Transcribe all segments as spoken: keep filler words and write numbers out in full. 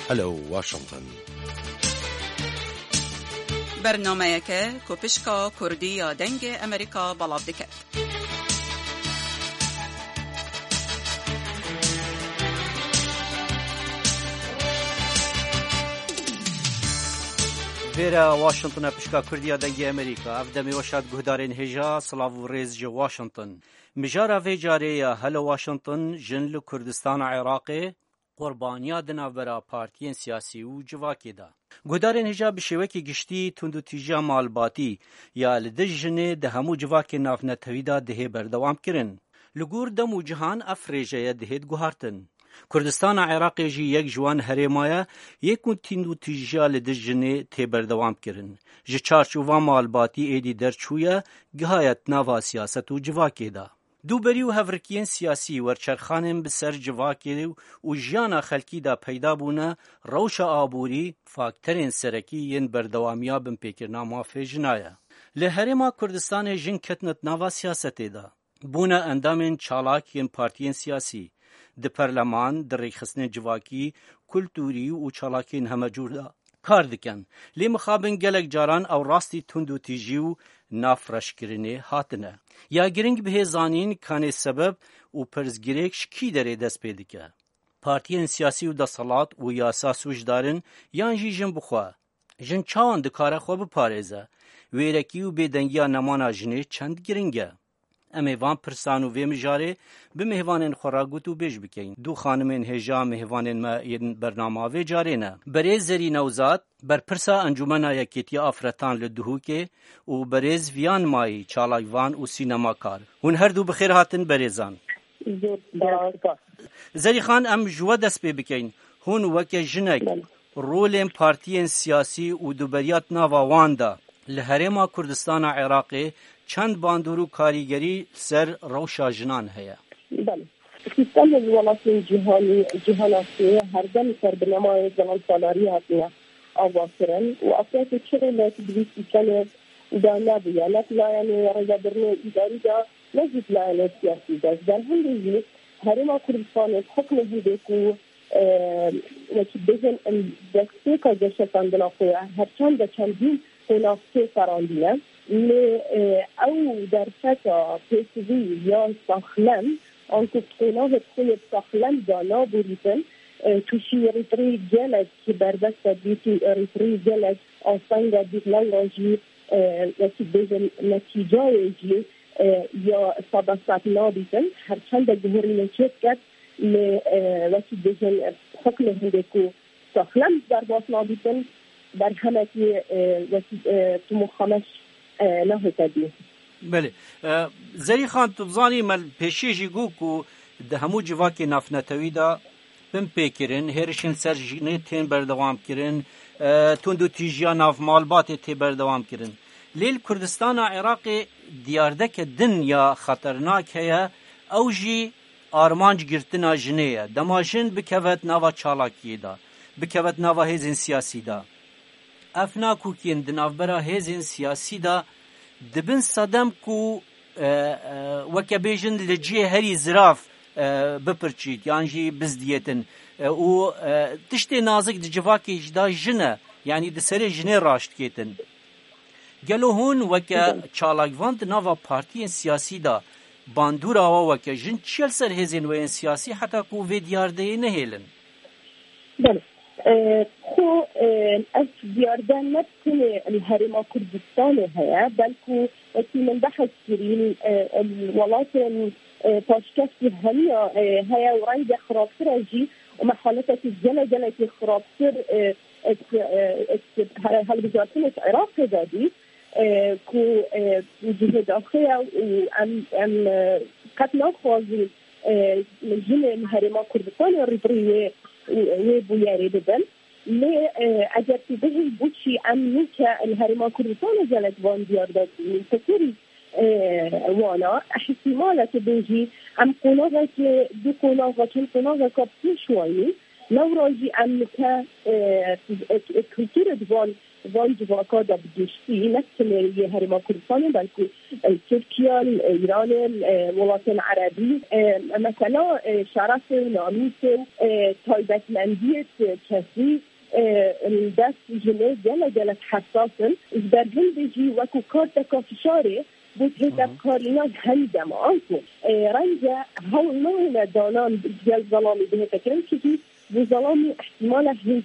Hello Washington. Bernameyeke ku pişka Kurdî ya Dengê Amerîka belav dike. Vêre Washington e, pişka Kurdî ya Dengê Amerîka. Ev demê weş hat guhdarên hêja, silav û rêz ji Washington. Mijara vê carê ya Hello Washington, jin li Kurdistana Iraqê, qurbaniya di navbera partiyên siyasî û civakê de. Guhdarên hêja, bi şêwekî giştî tundûtîjiya malbatî ya li dij jinê di hemû civakên navnetewî de dihê berdewam kirin. Li gor dem û cihan ev rêjeye dihêt guhartin. Kurdistana Iraqê jî yek ji wan herêma ye yê ku tundûtîjiya li dij jinê tê berdewam kirin. Ji çarçova malbatî êdî derçûye, gihaye di nava siyaset û civakê de. Dûberî û hevrikiyên siyasî, werçerxanên bi ser civakê û jiyana xelkî de peyda bûne, rewşa aborî fakterên serekî yên berdewamiya binpêkirina mafê jina ye. Li Herêma Kurdistanê jin ketine di nava siyasetê de. Bûne endamên çalak yên partiyên siyasî. Di perleman, di rêxistinên civakî, kulturî û çalakiyên hemecûr de kar dikin. Lê mixabin gelek caran ew rastî tundûtîjî û navreşkirinê hatine. Ya giring bihê zanîn kanê sebeb û pirsgirêk ji kî derê dest pê dike. Partiyên siyasî û desthilat û yasa sûcdar in yan jî jin bi xwe? Jin çawan dikare xwe biparêze? Wêrekî û bêdengiya nemana jinê çend giring e? Em ê van pirsan û vê mijarê bi mêvanên xwe re gotûbêj bikeyin. Du xanimên hêja mêvanên me yên bernama vê carê ne. Berêz Zerî Newzad, berpirsa Encûmena Yekêtiya Afretan li Duhokê û berêz Viyan Mayî, çalakvan û sînemakar. Hûn her du bi xêr hatin berêzan. Zor spas. Zerî Xan, em ji we dest pê bikeyin. Hûn weke jinek, Belê. Rolên partiyên siyasî û duberiya di nava wan de li Herêma Kurdistana Iraqê çend bandor û karîgerî li ser rewşa jinan heye? Belê. Sîstemê li welatên cîhanî, cîhana sê herdem li ser binemayê zelalsalarî hatine avakirin û afyakê çi rolek bi vî sîstemê de nebûye, ne di layenê rêvebirinê îdarî de, ne jî di layenê siyasî de. Ji ber hindê jî Herêma Kurdistanê bi hukmê hindê ku e, wekî bêjin, em destpêka geşepandina xwe ya her çend de çendîn qonax tê ferandîne. Lê, e, ew derfeta pêsivî ya saxlem, anku qonavê xwe yê saxlem da naborîtin, e, tûşî rîtirî gelek berbeste dît û rîtirî gelek astenga dît, lewra jî, e, wekî bêjin netîcayê jî, e, ya sedesed nabîtin. Her çend de guherînê çêdiket, lê, e, wekî dibêjin, e, hukmê hindê ku saxlem derbas nabîtin, berhemekî, e, wekî, e, tim û xameş, e, nehête dî. Belê. E, Zerî Xan, tu bizanî me li pêşî jî got ku di hemû civakê navnetewî de bin pê kirin, hêrişên ser jinê tên berdewam kirin, e, tundûtîjiya nav malbatê tê berdewam kirin. Lê li Kurdistana Iraqê diyardeke din ya xeternak heye, ew jî armanc girtina jinê ye. Dema jin bikeve di nava çalakiyê de, bikeve di nava hêzên siyasî de. Ev nakokiyên di navbera hêzên siyasî de dibin sedem ku, e, e, weke bêjin li cihê herî zirav, e, bipirçît yan jî bizdiyêtin. E, û, e, tiştê nazik di civakê jî de jin e, yanî di serê jinê raşt dikêtin. Gelo hûn weke Belê. çalakvan di nava partiyên siyasî de bandora we weke jin çi ye li ser hêzên we yên siyasî heta ku vê diyardeyê nehêlin? Belê. E, xwe, e, ev diyarde ne tenê li Herêma Kurdistanê heye, belku wekî min behs kirî, e, li welatên, e, paşkevtî hemiya, e, heye û renge xirabtir e jî û me haletekî gele gelekî xirabtir, e, ek, e, ek, he-, helbijartinê ji Iraqê de dît, e, ku, e, cihê daxuya û em, em, e, qet naxwazîn, e, jinên Herêma Kurdistanê rîbirî wê, wê bûyerê bibin. Lê, e, eger tu bihî bûçî em nûke li Herêma Kurdistanê gelek van diyar de dibînin, tekerî, e, wana, ihtimal e tu bêjî, em qonavekê, du qonava, çend qonaveka pêş wayî, lewra jî em nike, e, e, kulturê di van van civaka de bi giştî, ne tenê yê Herêma Kurdistanê, belkû, e, Tirkiye, e, Îranê, e, welatên Erebî, e, mesela, e, şerefê û namîsê û, e, taybetmendiyê kesî, e, dest jinê gelek, gelek hesas in. Ji ber hindê jî wekû karteka fişarê bo têdevkarinan hemî dema. Anku, e, renge hewl nayêne danan gel zelamî bihête kirin, çikî bo zelamî ihtimale hêj,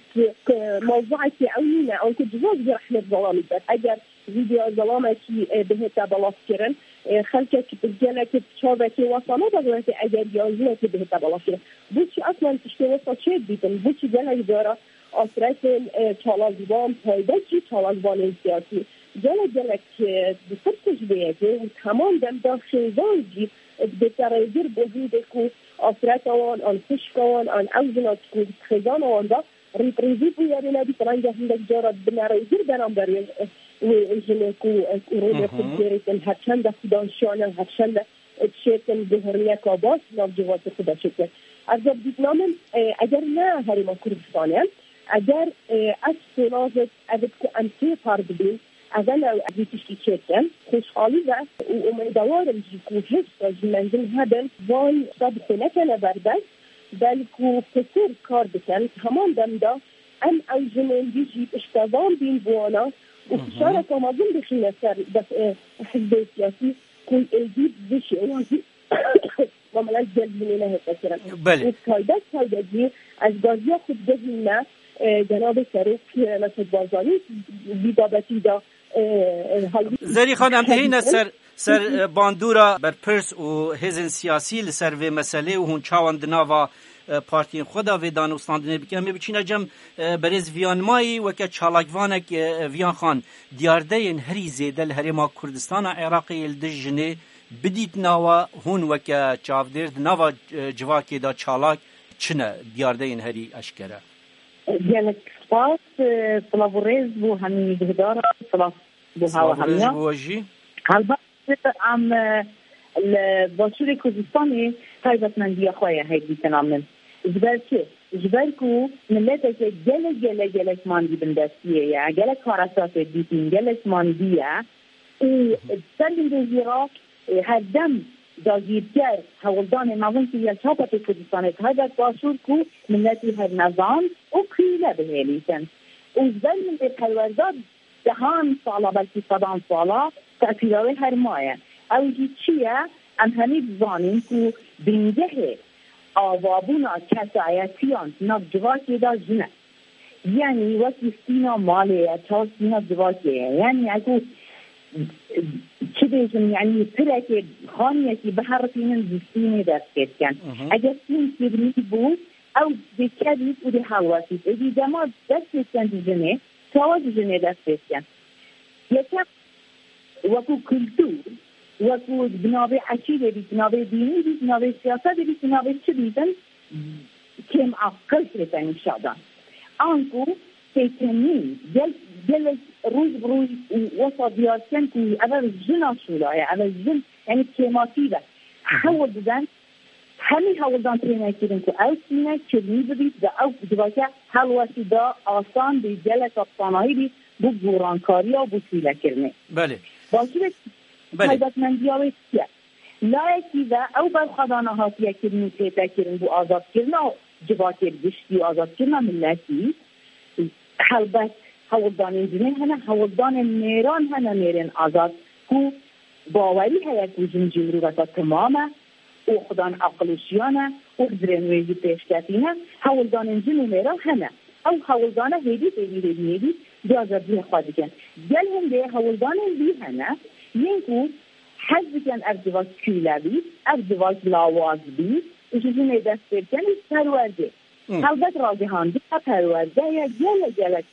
e, mewzuekî ew nîne, anku civak jî rehmet zelamî dibe. Eger vîdyoya zelamekî, e, bihête belavkirin, e, xelkek bi gelek çavekê wesa nade weke eger ya jinekê bihête belavkirin. Boçî eslen tiştê wesa çêdibîtin? Boçî gelek cara afretên, e, çalakvan, taybet jî çalakvanên siyasî gelek, gelek, e, ditirsin ji vê yekê û hemon dem de xêzan jî dibête rêgir bo hindê ku afreta wan, an xwişka wan, an ew jina ku di xêzana wan de rîprêzî bûyerê nebît, renge hindek cara bine rêgir beramber wê, wê jinê ku, e, ku rolê xwe digêrêtin, her çende xwedan şiyan e, her çende, e, dişêtin guhirniyeka baş nav civakê xwe de çêkin. Ev jî bi dîtina min, e, eger ne Herêma Kurdistanê, eger, e, ev sênajê ev ku em tê par dibîn, ev e ne ev tiştî çêkin, xweşxalî ve û umêdewar im jî ku hêşta jî mendil hebin, van tişta bi xwe nekene berdest, belkû pitir kar bikin. Heman dem de em ew jinên dî jî piştevan bîn bi wana û fişareka mezin bixîne ser def-, e, hizbê siyasî ku êdî bi vî şêwazî mamela gel jinê nehête kirin. Belê. Û taybet, taybet jî ez gaziya xwe digihîne, e, cenabê Serok, e, Mesut Barzanî vî babetî de, e, e, hal- Zerîxan, em dihîne ser, ser, e, bandora berpirs û hêzên siyasî li ser vê meselê û hûn çawan di nava, e, partiyên xwe de vê danûstandinê bikin. Em ê biçîne cem, e, berêz Viyanmayî weke çalakvanek, e, Viyan Xan, diyardeyên herî zêde li Herêma Kurdistana Iraqê yê li dij jinê bidît nawa hûn weke çavdêr di nava, e, civakê de çalak çi ne diyardeyên herî eşkere? Gelek spas, e, silav û rêz bo hemî guhdaran, silav bo hewa hemiya. Silav û rêz bo we jî. Helbet, em, e, li Başûrê Kurdistanê taybetmendiya xwe ye hêdîtina min. Ji ber çi? Ji ber ku mileteke gelek, gelek, gelek mandî bindestiyê ye. Gelek karesatê dîtin, gelek mandî ye. Û ser hindê jî re, e, her dem dagîrker hewldanê mezin kiriye çapa tê Kurdistanê, taybet Başûr ku miletî her nezan û kûle bihêlîtin. Û ji ber hindê perwerda dehan sala, belkî sedan sala tesîra wê her maye. Ew jî çi ye? Em hemî dizanîn ku bingehê avabûna kesayetiyan di nav civakê de jin e. Yanî wekî stîna malê ye, çawa stîna civakê ye. Yanî eku çi bêjim, yanî pirekê xaniyekî biherifînin ji stînê dest pê dikin. Eger stîn kirmî bû, ew dê kevît û dê helwestît. Êdî dema dest pê dikin ji jinê, çawa ji jinê dest pê dikin? Yekem, wekû kultur, wekû bi navê eşîrê bît, bi navê dînî bît, bi navê siyasetê bît, bi navê çi bîtin, kêm aqil tê te nîşa dan. Anku têkenîn, gel-, gelek roj bi roj û wesa diyar dikin ku ev ev jina şûla ye, ev ev jin, yanî kêmasî ve hewl didin, hemî hewldan têne kirin ku ew tîne kirmî bibît ve ew civake helwestî da asan bî, gelek sanahî bî bo gorankariya û bo tîlekirinê. Belê. Başûrê Belê. Taybetmendiya wê çi ye? Layekî ve ew berxwedana hatiye kirin û tête kirin bo azadkirina civakê bi giştî û azadkirina miletî. Helbet hewldanên jinê hene, hewldanên mêran hene, mêrên azad ku bawerî heye ku jin jî miroveka temam e û xudan aqil û şiyan e û hizrên wê jî pêşketî ne. Hewldanên jin û mêran hene. Ew hewldana hêdî, hêdî, hêdî, hêdî, ciya zerdiyê xwe dikin. Gel hindê hewldanên dî hene, yên ku hez dikin ev civak kûle bî, ev civak lawaz bî, ji jinê dest pê bikin û perwerdê. Hı. Helbet ragihandina perwerde ye, gelek, gelek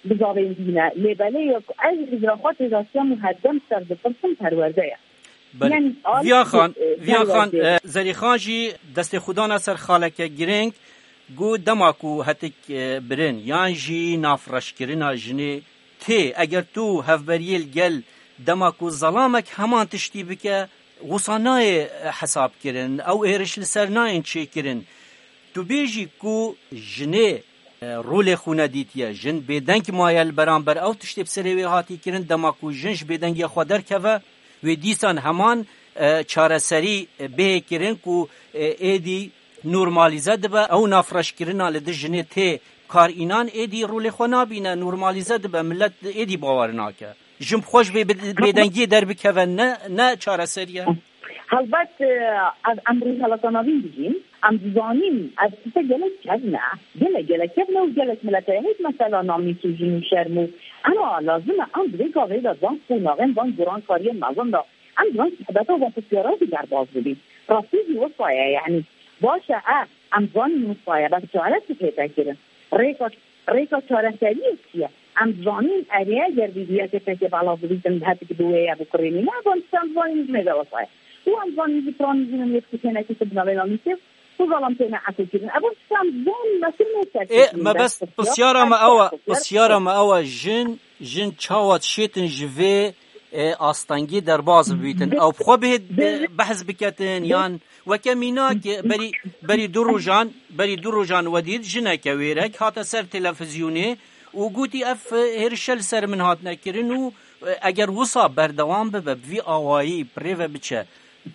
bizavên dîne. Lê belê ye ku ez hizra xwe têdaşiyam û herdem ser dipirsim perwerde ye. Belê. Yanî, Viya Xan, e, Viya Xan, perwerde. E, Zerîxan jî destê xwe dana ser xaleke girîng, got dema ku hetik, e, birin yan jî navreşkirina jinê tê, eger tu hevberiyê li gel dema ku zelamek heman tiştî bike, wisa nayê, e, hesab kirin, ew êriş li ser nayên çêkirin. Tu bêjî ku jinê e, rolê xwe nedîtiye. Jin bêdeng maye li beramber ew tiştê bi serê wê hatî kirin, dema ku jin ji bêdengiya xwe derkeve, wê dîsan heman, e, çareserî, e, bihê kirin ku, e, êdî normalîze dibe, ew nafreşkirina li dij jinê tê kar înan êdî rolê xwe nabîne, normalîze dibe, millet êdî bawer nake. Jin bi xwe ji vê bi-, bêdengiyê derbikeve ne, ne çareserî ye. Helbet, e, ez em rûyhelata navîn dijîn, em dizanîn, ev tişte gelek kevn e. Gelek, gelek kevn e û gelek milet heye. Hêj mesela namnîs û jin û şerm û, ema lazim e em di vê gavê de van qonaxên, van gurankariyên mezin de, em di van sohbeta, van pisyara jî derbas bibîn. Rastî jî wisa ye, yanî baş e, e, em zanîn wisa ye, bes çare çi tête kirin? Rêka, rêka çareseriyê çi ye? Em zanîn erê, eger vîdyoyeke fekê belav bibîtin, bi hetikî bi wê ye, bi kurê nîne, evan tiştan zanîn ji mêze wisa ye. Û em zanîn jî piranî jî min yê dikişênekî tu bi navê namnîsê û zelam têne ekokirin. Evan tiştan zon me kirine ser Ê, me bes pisyara me ew e, pisyara me ew e, jin, jin çawa dişêtin ji vê, e, astengê derbas bibîtin? Ew bi xwe bihê, e, behs biketin, yan weke mînak, e, berî, berî du rojan, berî du rojan we dît jineke wêrek hate ser televizyonê û gotî ev, e, hêrişe li ser min hatine kirin û, e, eger wisa berdewam bibe, bi vî awayî bi rê ve biçe,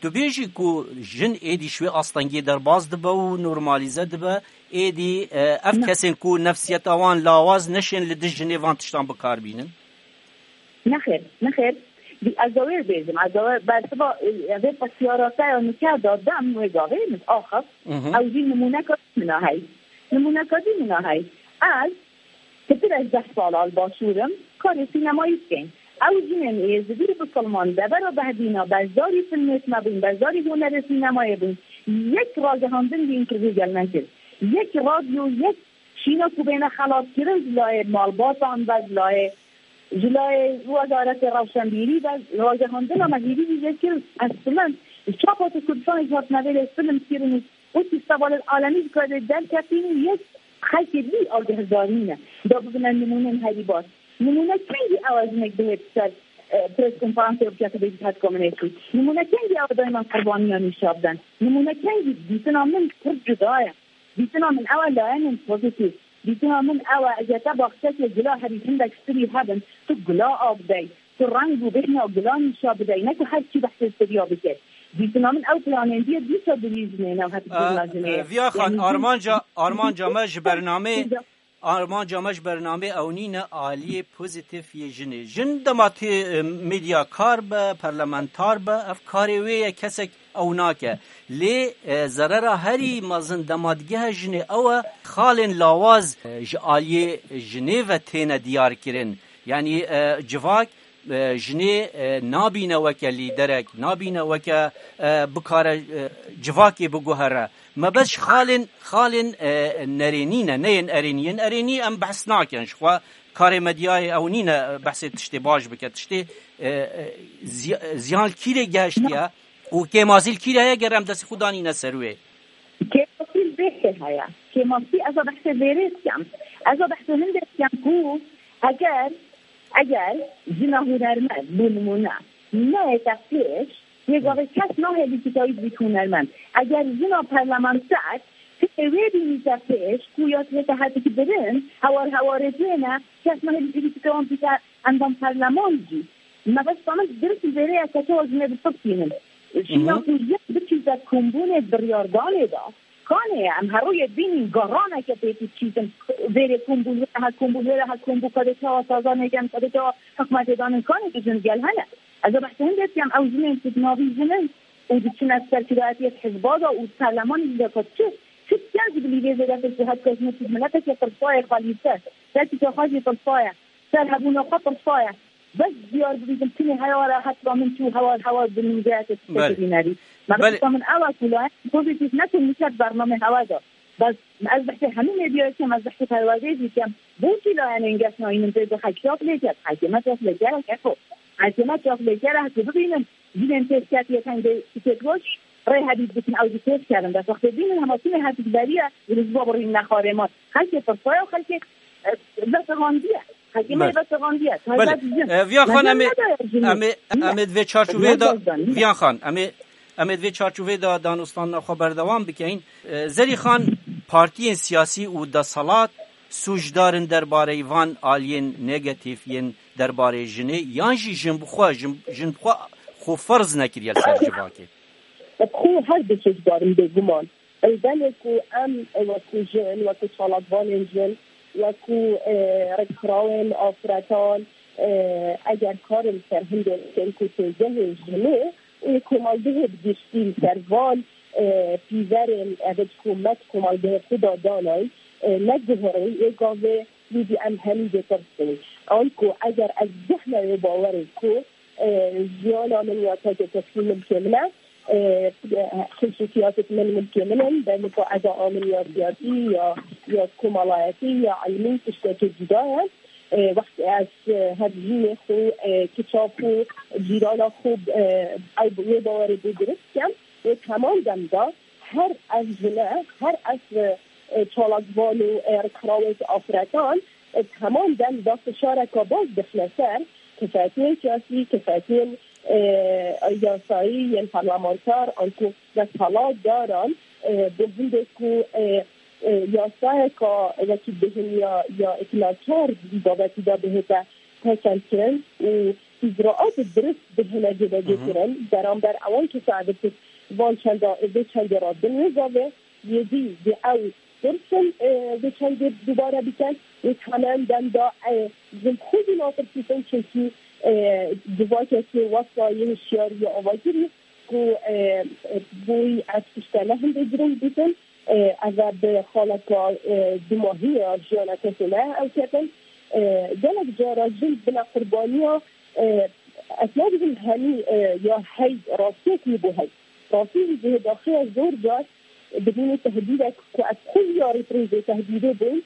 tu bêjî ku jin êdî ji wê astengê derbas dibe û normalîze dibe, êdî, e, ev kesên ku nefsiyeta wan lawaz neşên li dij jinê van tiştan bi kar bînin? Nexêr, nexêr. Ez de wê bêjim, ez de wê bersiva, e, vê pisyara te ya nûke da dem wê gavê min axif. Mhm. Ew jî nimûneka min a hey. Nimûneka jî min a hey. Ez Pitir ez deh sala li başûr im, karê sînemayî dikeyn. Ew jinên êzidî û bisilman devera behdîna beşdarî filmê me bûn, beşdarî hunerê sînemayê bûn. Yek ragihandin dîn kir vê gel nekir. Yek radyo, yek şîna ku bêne xelatkirin ji layê malbatan ve, ji layê, ji layê Wezaretê Rewşenbîrî ve, ragihandina me hêvî jî vê kir, ez bilind, çapa tu Kurdistanê ji hatine vê lê film kirin û Wekî sevalên alemî ji karê derketîn û yek xelkê dî agihdarî ne. Da bibine nimûnên herî baş. Nimûne kengî ew e jinek bihêt ser, e, pres konferansê û bike tu bêjî hetka min ê çû? Nimûne kengî ew e dayman qurbaniyan nîşa biden? Nimûne kengî dîtina min pir cuda ye. Dîtina min ew e layenên pozîtîf. Dîtina min ew e, eger te baxçekê gula herî hindek spirî hebin, tu gula av dey. Tu reng û bêhna gulan nîşa bidey, ne ku her çî behsê siriya bike. Dîtina min ew planên diye dîsa dirîj nêne û hep Aa, dîna jinê. Viya Xan, yanî armanca, armanca me ji bernamê, armanca me ji bernamê ew nîne aliyê pozîtîf yê jinê. Jin dema tê, e, medyakar be, parlamentar be, ev karê wê ye, kesek ew nake. Lê, e, zerera herî mezin dema digehe jinê ew e, xalên lawaz, e, ji aliyê jinê ve têne diyar kirin. Yanî, e, civak, e, jinê, e, nabîne weke lîderek, nabîne weke, e, bikare, e, civakê biguhere. Me bes ji xalên, xalên, e, nerênî ne, ne yên erênî. Yên erênî em behs nakin. Ji xwe karê medyayê ew nîne, e, behsê tiştê baş bike, tiştê, e, e, ziy-, ziyan li kîrê gehiştiye û kêmasî li kîrê heye ger em destê xwe danîne ser wê. Kêmasî li vê heye. Kêmasî ez a behsê vêrê dikim. Ez a behsê hindê dikim ku eger, eger jina hunermend, bo nimûne, neyête pêş, yê gavê kes nahêlî kitayî dibît hunermend. Eger jina parlamenter, tê wê bînîte pêş, ku ya tête hetikî birin, hewar hewarê têne, kes nahêlî pêlî bike wan bîte endam parleman jî. Mebesta min dirist vêrê ye, keçewa jinê bi tir tînin. Şîna ku yek biçîte kombûnê biryardanê de, kanê ye, em her rûyê bînîn garaneke pêtî çîtin, vêrê kombûn, wêre he kombûn, wêre he kombû, kadê çawa sazanê gen, kadê çawa hikûmetê danin, kanê ku jin gel hene. Ez ê behsê hindê dikem, ew jinên ku di navî jin in û diçine serkirdayetiyê hizba de û parlemanê jî de ku çi, çi diken jî bilî vê zêdetir ku hetka jinê ku mileteke tirsaye xalî ser, serkî xwe jî tirsaye, ser hebûna xwe tirsaye. Bes diyar bibîtim, çinê hewara hetra min çû hewar hewar bi nûzeyeke Belê. Tiştekî bînerî. Me Belê. Bexta min ew e ku layek pozîtîf nekin miket bernamê hewa de. Bes ez behsê hemî medyayê dikim, ez behsê perwerdeyê jî dikim. Bo çi layenên geş nayînin pê de xelk çav lê ket? Xelkê me çav lê gerek e ku. Xelkê me çav lê gerek ku bibînin. Jinên pêşketiyê tengê tikêt weş rê hebît bikin, ew jî pêş kevin. Bes wextê bînin hema çinê hetik beriye, û li ji bo birîn nexarê me. Xelkê tirsaye û xelkê, e, veterandiye. Xelkê me Belê. Veterandiye. Belê. Taybet jin. E, Viya Xan, Mezin em ê, nedaya jinê. Em ê, Niye? Em ê di vê çarçoveyê de, Viya Xan, em ê, em ê di vê çarçoveyê de danûstandina xwe berdewam bikeyin. E, Zerî Xan, partiyên siyasî û deselat Sûcdar in derbarê van aliyên negatîf yên derbarê jinê, yan jî jin bi xwe, jin, jin bi xwe xwe ferz nekiriye li ser civakê? Bi xwe her du sûcdar in bêguman. Ew demê ku em wekî jin, wekî çalakvanên jin, wekî, e, rêkxirawên afretan, e, eger karin ser hindê bikin ku têgehê jinê û komaldehê bi giştî li ser van, e, pîverên ev ji ku me di komaldehê xwe de danayîn, e, neguherîn, ê gavê yê dî em hemî dê tirsin. Anku eger ez zehna wê bawerê ku, e, jiyana min ya teke kesî milkê min e, e, xisûsiyatê min milkê min in, belê ku ez a min ya siyasî ya, ya komelayetî ya ilmî tiştekê cuda ye. E, wextê ez, e, hevjînê xwe, e, kiça xwe, cîrana xwe, e, ew bi wê bawerê bê dirust dikim. Wê heman dem de her ev jine, her ev, e, çalakvan û, e, rêkxirawên afretan, e, heman dem de fişareka baş dixine ser kifetiyên siyasî, kifetiyên, e, yasayî yên parlamenter, anku desthilatdaran, e, bi hindê ku, e, e, yasayeka wekî bêhiniya ya îtilakar di babetî de bihête tekelkirin û îcraat dirust bihine cêbecêkirin, beramber ewan kesayê van çenda, vê çendê re din wê gavê yê dî dê ew tirsin, e, vê çendê dubare bikin, wê hemen dem de, e, jin xwe jî natirsîtin, çimkî, e, civakekê wesa yê hişyarî ya avakirî ku, e, e, boyî ev tişte ne hindê girîng dîtin, e, ev e bi xaleka, e, dumahî ya jiyana kesê me ew ketin. E, gelek cara jin bine qurbaniya, e, ez nabêjim henî, e, ya hey rastiyek wî bû hey. Rastî jî cihê daxuya zor car dibînî tehdîdek ku ez xwe jî ya rêprêzê tehdîdê bûm.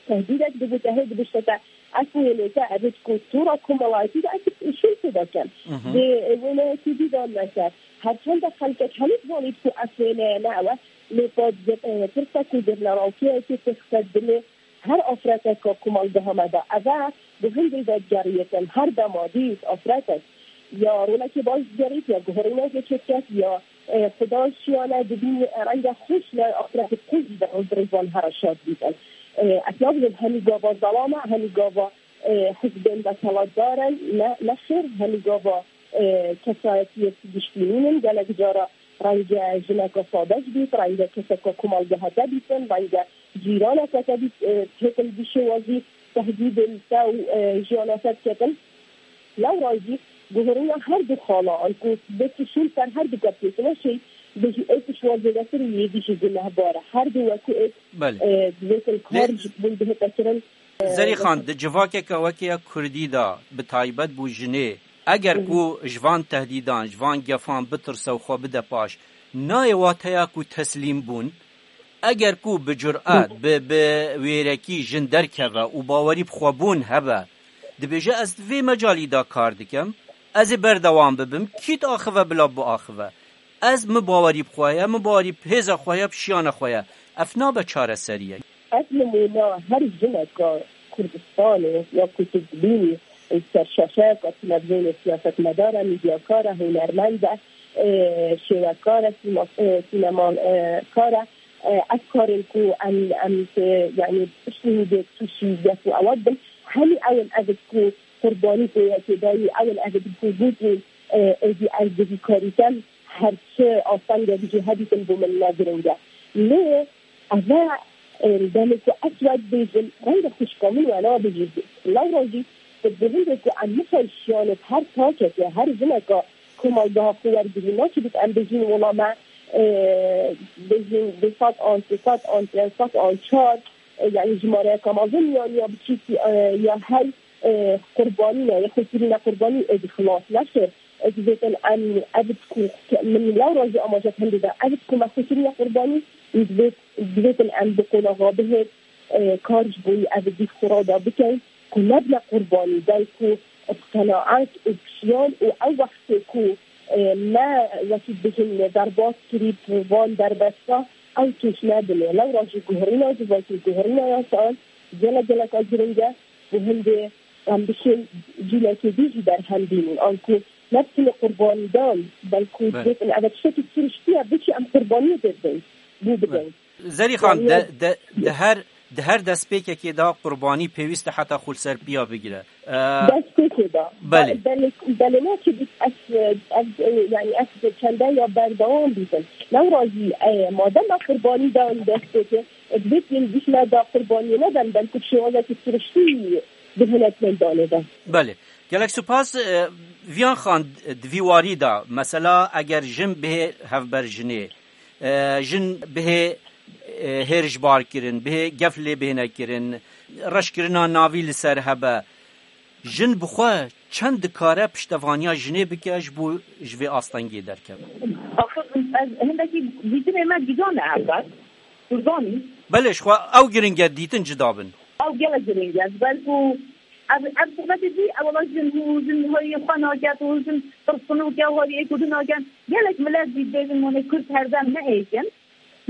Tehdîdek dibû te hê dibişte te, ez wênê te, ev ku tora komelayetî de ez şûn pê dakem. Mhm. Dê wêneyekî dî dan me ser. Her çende xelkek hemî divanî ku ev wêneye ne ew e, lê pa, e, tirsa ku zirnerawkiyekê tê xise dilê her afreteka komelgeha me de. Ev e, bi hindê vedigeriyêtin, her dema dît afretek ya rolekê baş digerît, ya guherînekê çêdiket, ya, e, xudan şiyane dibînî, e, renge xweş ne afretê xwe jî de roj bi rêz wan here şad bîtin. E, ez nabêjim hemî gava zelama, hemî gava, e, hizbên desthilatdar in, ne, ne xêr, hemî gava, e, kesayetiyê giştî nînin, gelek cara renge jineke sade jî bît, renge keseke komelgeha te bîtin, renge cîraneke te bît, e, têtin vî şêwazî tehdîdên te û, e, jiyana te diketin. Lewra jî guherîna her du xala, anku dê tu şûn ser her du kepçê, tu neşêy bêjî ê tu ji wan zêdetir û yê dî jî gunehbar e. Her du wekî êk, Belê. e, divêtin kar ji bûn bihête kirin. Zerî Xan, di civakeke wekî ya Kurdî de, bi taybet bo jinê, eger ku ji van tehdîdan, ji van gefan bitirse û xwe bide paş, nayê wateya ku teslîm bûn? Eger ku bi curet, bi, bi wêrekî jin derkeve û bawerî bi xwe bûn hebe, dibêje, ez di vê mecalî de kar dikim, ez ê berdewam bibim, kî diaxive bila biaxive. Ez, min bawerî bi xwe ye, min bawerî bi hêza xwe ye, bi şiyana xwe ye. Ev nabe çareseriyek. Ev nimûna her jineka Kurdistanê ya ku tu dibînî, e, ser şaşeyeka televîzyonê, siyasetmedar e, medyakar e, hunermend e, e, şêwekar e, sîma-, e, sînemakar e, e, ev karên ku em, em, e, yanî piştî hîdê tûşî gef û ewa dibin, hemî ew in ev ku qurbanî pê yekê dayî, ew in ev ku gotî, e, êdî ez divî karî kem, her çi astengek jî hebîtin bo min ne giring e. Lê ev e, e, demê ku ez we dibêjim, renge xwişka min we nabêjî. Lewra jî tu bi hindê ku em nixeşiyanê her takeke, her jineka komelgeha xwe wergirî, naçibît em bêjîn wela me, e, bêjîn du sed an, sê sed an, pênc sed an, çar, e, yanî jimareyeka mezin ya, ya biçûkî, e, ya hey, e, qurbanî ne, ya xwekirîna qurbanî êdî xilas neşir. Divêtin em ev ku min lewra jî amaje hindê de, ev ku me xwekirîna qurbanî, divêt, divêtin em bi qonaxa bihêt, e, kar ji bo ev dî xwe rada bikin, ku nebine qurbanî, belku bi qenaet û bi şiyan û ew wextê ku, e, me wekî bêjin derbas kirî bi van derbesta, ew tûş nebine. Lewra jî guherîna civakî, guherîna yasan, gelek geleka giring e, bi hindê em bişên cîlekê dî jî berhem bînin. Anku ne bi tenê qurbanî dan, belku Belê. Dibêtin ev tiştekî siriştî ye, biçî em qurbaniyê dê bidin, bû bidin. Belê. Zerî Xan, Yani de, de, de her Di her destpêkekê de qurbanî pêwîst e heta xwe li ser piya bigire. E, Destpêkê de. Belê. Belê, belê ne ki biz ez, ez, yani ez çende ya berdewam bîtin. Lewra jî, e, madem me qurbanî da destpêkê, e, divêt yên dîşme da qurbaniyê neden, belkî şêwazekî siriştî bihêlet meydanê de. Belê. Gelek spas, e, Viyan Xan, di vî warî de, mesela eger jin bihê hevber jinê, e, jin bihê, e, hêrişbar kirin, bihê gef lê bihêne kirin, reşkirina navî li ser hebe, jin bi xwe çend dikare piştevaniya jinê bike ji bo ji vê astengê derkeve? Axir ez hindekî dîtinê me cîda ne ev bes. Kurdanî. Belê, ji xwe ew giring e dîtin cida bin. Ew gelek giring e. Ji ber ku ev, ev sohbetê dî, ew wela jin û jin hoyê xwe naket û jin tirsinûk e û hoyê êk û du nakin. Gelek milet jî dibêjin, wanê Kurd herdem ne êk in.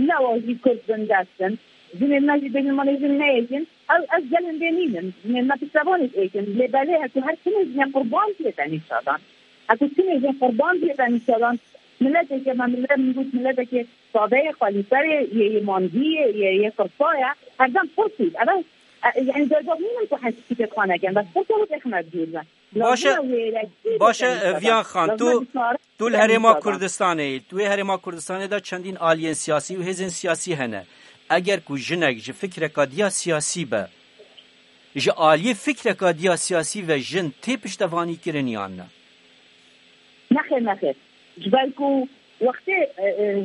Lewa jî Kurd bindest in. Jinên me jî dibêjin, wanê jin ne êk in. Ew, ez gel hindê nînim. Jinên me piştevanê êk in. Lê belê heku her tinê jinê qurban diyete nîşadan. Heku tinê jin qurban diyete nîşadan. Mileteke me, milet min got, mileteke sadeyê, xwelîserê, yê, yê mangî yê, yê, yê qirsa ye. Herdem pirsît. Ev, e, yani, derdor nînin ku hespîtê xwe nekin. Bes pirsa wê xemet dûr be. Baş e, Lazim e wêrekî baş e, bikin Viyan Xan, tu, tu li Herêma Kurdistanê yî, tu yê Herêma Kurdistanê de çendîn aliyên siyasî û hêzên siyasî hene. Eger ku jinek ji fikreka diya siyasî be, ji aliyê fikreka diya siyasî ve jin tê piştevanî kirin yan ne? Nexêr, nexêr. Ji ber ku wextê, e, e,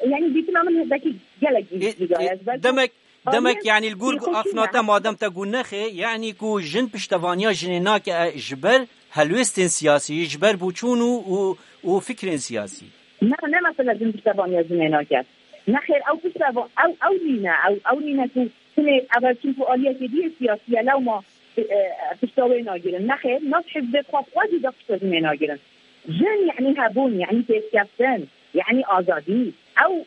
yani dîtina min hindekî gelek Ê, cî-, cîga ye. Ji ber ku demek, demek aliyên yani li gor afna te madem te got nexê, yani ku jin piştevaniya jinê nake, e, ji ber helwêstên siyasî, ji ber boçûn û, û, û fikrên siyasî. Ne, ne mesela jin piştevaniya jinê nake. Nexêr, ew pişteva-, ew, ew nîne, ew, ew nîne ku Hinê ev çimkû aliyekê dî yê siyasî ye, lewma, e, pişta wê nagirin. Nexêr, nav hizbê xwe xwe jî de pişta jinê nagirin. Jin, yanî hebûn, yanî pêşkeftin, yanî azadî. Ew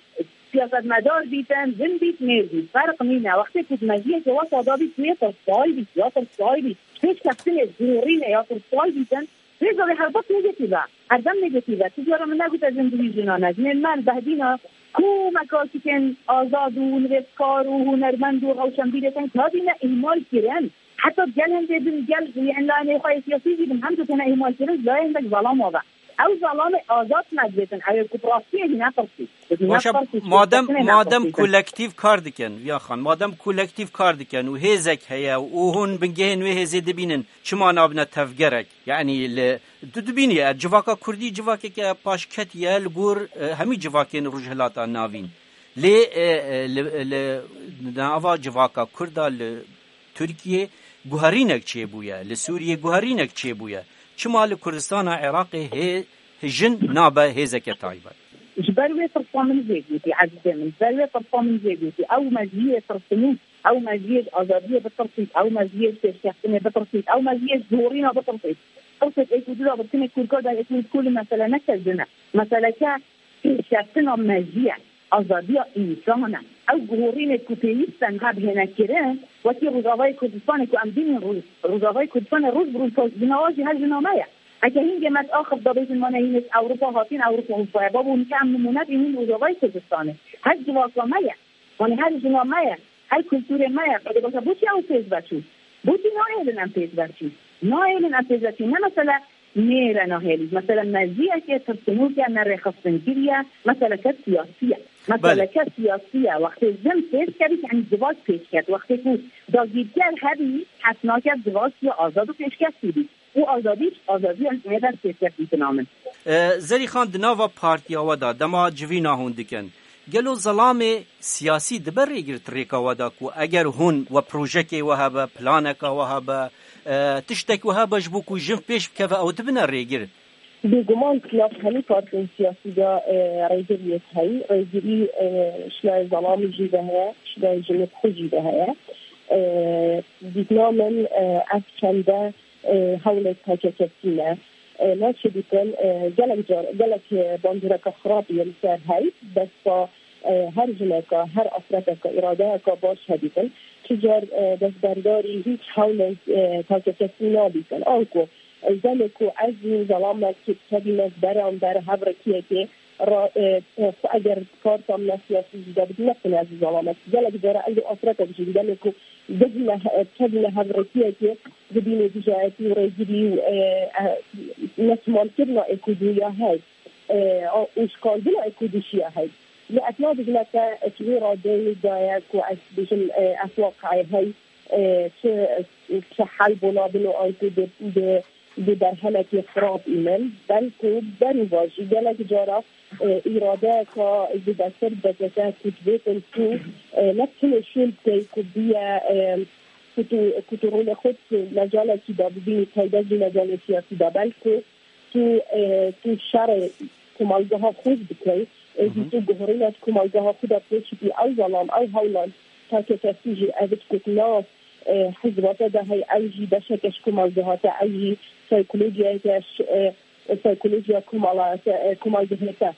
siyasetmedar bîtin, jin bît, mêr bît, ferq nîne. Wextê ku di mejiyekê wesa de bît, tu yê tirsay bît, ya tirsay bît. Pêşkeftinê, gorînê ya tirsay bîtin, Rêza wê helbet negatif e. Herdem negatif e. Tu cara min negote jin di wî jina ne. Jinên me li behdîna ku mekasikên azad û nivîskar û hunermend û rewşenbîrê tên kadî ne îhmal kirin. Heta gel hindê bin gel, yani layê xwe yê siyasî jî bin hem dikene îhmal kirin, layê hindek zelam ave. Ew zelamê azad me dibêtin. Ew ê ku bi rastiyê jî nepirsî. Baş e, madem, madem kolektîf kar dikin, Viya Xan, madem kolektîf kar dikin û hêzek heye û hûn bingehên wê hêzê dibînin, çima nabine tevgerek? Yanî li, tu dibînî, e, civaka kurdî civakeke paşketî ye li gor, e, hemî civakên Rojhilata Navîn. Lê, e, e, li, li nava civaka kurda li Tirkiyê guherînek çêbûye, li Sûriyê guherînek çêbûye. Çima li Kurdistana Iraqê hê-, jin nabe hêzeke taybet? Ji ber wê pirsa min jê gotî, ezîzê min, ji ber wê pirsa min jê gotî, ew mejiyê tirsinûk, ew mejiyê ji azadiyê bitirsît, ew mejiyê ji pêşkeftinê bitirsît, ew mejiyê ji gorîna bitirsît. Tirsêt êk û du de bi tinê kûrka de êk û du kul mesele ne ke jin e. Meseleke pêşkeftina mejî ye, azadiya însan e. Ew guhorînê ku pêwîst e niha bihêne kirin, wekî Rojavayê Kurdistanê ku em bînin Roj-, Rojavayê Kurdistanê roj bi roj jina wan jî her jina me ye. Heke hingê me diaxif da bêjin, mane hîn ji Ewropa hatin, Ewropa Ewropa ye. Babo, nike em nimûne bînin Rojavayê Kurdistanê. Her civaka me ye. Mane her jina me ye. Her kulturê me ye. Qedê basa, boçî ew pêş ve çû? Boçî nahêlin em pêş ve çûn? Nahêlin em pêş ve çûn. Ne mesele Nêre nahêlî. Mesela mejiyeke tirsinûk e, ne rêxistinkirî ye, meseleke siyasî ye. Meseleke siyasî ye. Wextê jin pêş kevî, yanî civak pêş ket. Wextê ku dagîrker hebî, hes nake civak ya azad û pêşkevtî bî. Û azadî, azadiya jinê dest pêşkevtî dinamin. E, Zerî Xan, di nava partiya we de, dema civîna hûn dikin, gelo zelamê siyasî dibe rêgir di rêka we de ku eger hûn we projekê we hebe, planeka we hebe, e, tiştek we hebe ji bo ku jin pêş bikeve, ew dibine rêgir? Bêguman nav hemî partiyên siyasî de, e, rêgiriyek heye. Rêgirî, e, şinayê zelamî jî de heye, şinayê jinê xwe jî de heye. E, dîtina min, e, ev çende, e, hewlek takekesî ne. E, naçe dîtin, e, gelek car, gelek, e, bandoreka xirab yên li ser hey, desta, e, her jineka, her afreteka, îradeyeka baş hedîtin. Çi car, e, destberdarî hîç hewlek, e, takekesî nadîtin. Anku, e, gelê ku ez û zelamekî dikevîne ji beramber hev rikiyekê, Ra, e, e, xwe eger parta min a siyasî jî de bidin, ne tenê ez û Zelam e. Gelek cara ez û afretek jî demê ku bihne, e, kevîne hevrekiyekê, dibînê dijayetî û rêgirî û, e, e, netimamkirina êk û dû ya hey, e, û şikandina êk û dû ya hey. Lê ez nabêjime te, e, ji vê radeyê daye ku ez bêjim, e, ez waqeyê hey, e, çi, çi hel bo nabin û anku di, di, di berhemekê xirab înin. Belku berî va jî gelek cara, e, îradeyeka zêdetir D K K ku dibêtin tu, e, ne tenê şûl bikey ku biye, e, ku tu, ku tu rolê xwe di mejalekî de bibînî, taybet jî mejalê siyasî de. Belku tu, e, tu şerê komelgeha xwe bikey, êdî tu guherîna di komelgeha xwe de pêşî bî. Ew zelam, ew hewlan takekesî jî ev digot na, e, hizba te de hey, ew jî beşeke ji komelgeha te, ew jî psîkolojiyeke ji, e, psîkolojiya komela te, e, komelgehê te.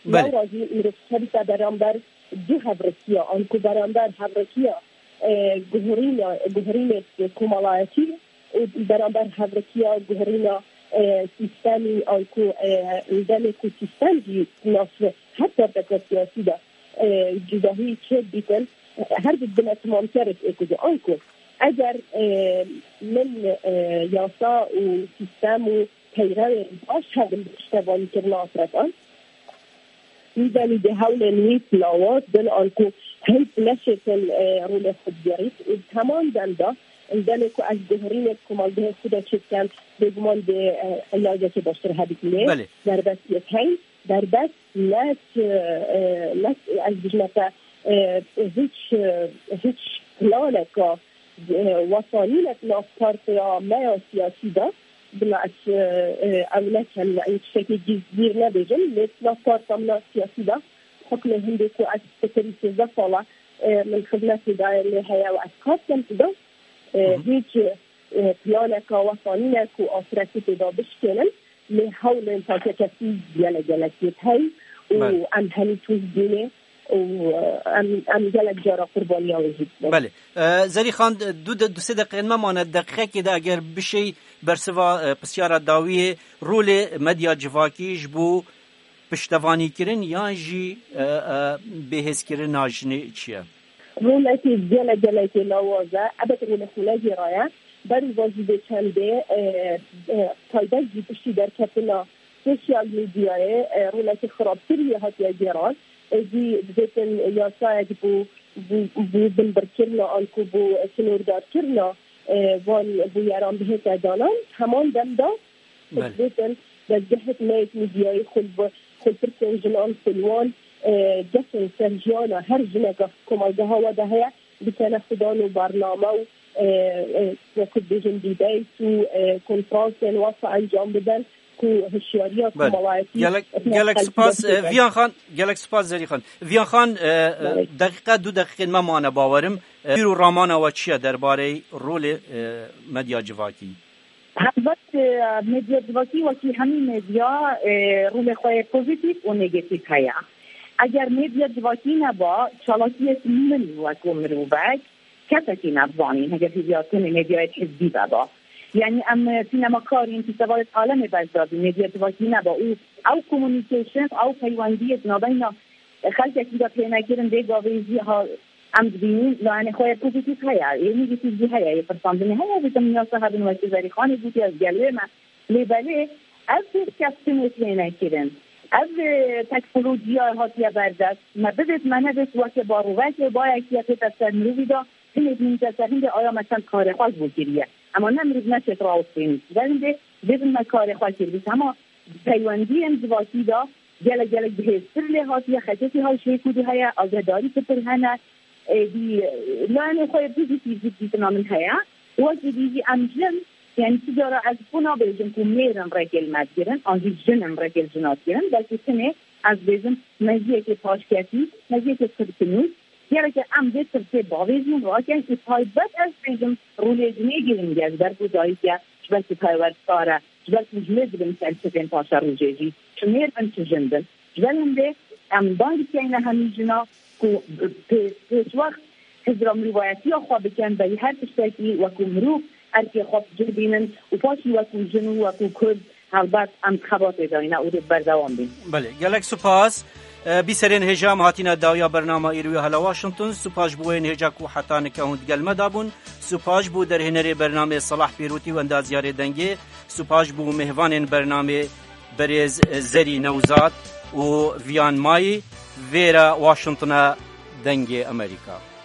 Belê. Lewra jî mirov dikevite beramber du hevrekiya, anku beramber hevrekiya, e, guherîna, guherînê komelayetî û beramber hevrekiya guherîna, e, sîstemî, anku, e, demê ku sîstem jî nas her parteke siyasî de, e, cudahî çêdibîtin, e, her du dibine timamkerek êk û du. Anku eger, e, min, e, yasa û sîstem û peyrewên baş hebin bi piştevanîkirina afretan, Mîdanî di hewlên wî lawaz bin, anku hin neşêtin, e, rolê xwe digerît û di heman dem de, li demê ku ez guherînê di komelgehê xwe de çêdikem, bêguman dê, e, îlacekê baştir hebît. Lê Belê. derbestiyek heyî, derbest ne, e, ne, ez dijme te, e, hiç, e, hiç planeka, e, wesanînek nav partiya me ya siyasî de, bila ez, e, e, ew nekem, yanî tiştekî gizlî nebêjim, lê nav partiya min a siyasî de, hukmê hindê ku ez pitirî sêzdeh sala, e, min xizmetê daye lê heye û ez kar dikim tu de, e, Hı hı. hiç, e, planeka wesanînek û afretê tê de bişkênim, lê hewlên takekesî gelek gelek yêt hey û Belê. em henî tûz bûnê û, e, em, em gelek cara qurbaniya wê jî dibin. Belê. E, Zerîxan, du de, du sê deqeyên me mane, deqeyekê de eger bişêy bersiva, e, pisyara dawiyê, rolê medya civakî ji bo piştevanîkirin yan jî, e, e, bêhêzkirina jinê çi ye? Rolekî gelek gelekê lawaz e. Ebet rolê xwe negêraye. Berî va jî bê çendê, e, e, taybet jî piştî derketina sosyal medyayê, e, rolekî xirabtir wê hatiye gêran. Êdî dibêtin yasayek bû, bû, bû binbirkirina anku bû sînordarkirina, e, van bûyeran bihête danan. Heman dem de Belê. dibêtin dezgehek me yek medyayê xwe li, xwe li pirsên jinan, xwe li wan, e, gefên ser jiyana her jineka komelgeha we de heye, bikene xudan û bername û, e, e, wekî dibêjin debate û, e, konferansên wasa encam bidin ku hişyariya Belê. komelayetî Gelek, etine gelek xelkî spas, e, destpê be. Viyan Xan, gelek spas Zerîxan. Viyan Xan, e, e, Belê. deqîqe, du deqîqên me mane bawerim. E, bîr û ramana we çi ye derbarê rolê, e, medya civakî? Helbet, e, medya civakî wekî hemî medya, e, rolê xwe yê pozîtîf û negatîf heye. Eger medya civakî neba, çalakiyek min wekû mirovek, kesekî nedizanîn, heger hêviya tenê medyayê hizbî veba. Yanî em, e, sînemakarîn, fîstevalê alemê beş dadî, medya civakî neba û ew communication, ew peywendiyê di navbeyna xelkekî de tênekirin, vê gavê jî ha em dibînin, layenê xwe yê pozîtîf heye, yê negatîf jî heye, yê pirsandinê heye, dîtim yasa hebin wekî Zerîxanê gotiye, ez gel wê me. Lê belê ev pêşkeftinê tênekirin. Ev, e, teknolojiya hatiye berdest. Me bivêt me nevêt weke barovekê, bayekî ye tête ser mirovî de, hinê dimînite ser hindê aya me çend karê xwe ji bo kiriye. Ema ne mirov neçêt rawestênî. Ji ber hindê dibêjin me karê xwe kir. Bîst hema peywendiyên civakî de gelek gelek bihêztir lê hatiye, xetekî hawşê ku dû heye, agedarî pitir hene. Êdî, e, layenê xwe yê pozîtîf jî dîtina min heye. Wekî dî jî em jin, yanî tu cara ez xwe nabêjim ku mêr in rêkê li me digirin, an jî jin in rêkê li jina digirin, belkî tenê ez bêjim mejiyekê paşketî, mejiyekê tirkinû, gereke em vê tirsê bavêjin, rakin û taybet ez bêjim rolê jinê girîng e, ji ber ku dayik e, ji ber ku perwerdekar e, ji ber ku ji mêr dibin ser çivên paşerojê jî, çi mêr bin, çi jin bin. Ji ber hindê em bang dikeyne hemî jina ku pê-, pêşwext hizra mirovayetiya xwe bikin, berî her tiştekî wekû mirov erkê xwe bi cih bînin û paşî wekû jin û wekû Kurd Helbet em xebatê dayne û dê berdewam bin. Belê, gelek spas. E, bîserên hêja em hatîne dawiya bernama îro ya Hela Washington. Spas ji bo yên hêja ku heta nika hûn digel me dabûn. Spas ji bo derhênerê bernamê Selah Pêrotî û endaziyarê dengê. Spas ji bo mêvanên bernamê berêz Zerî Newzat û Viyan Mayî. Vêra Washingtona Dengê Amerîka.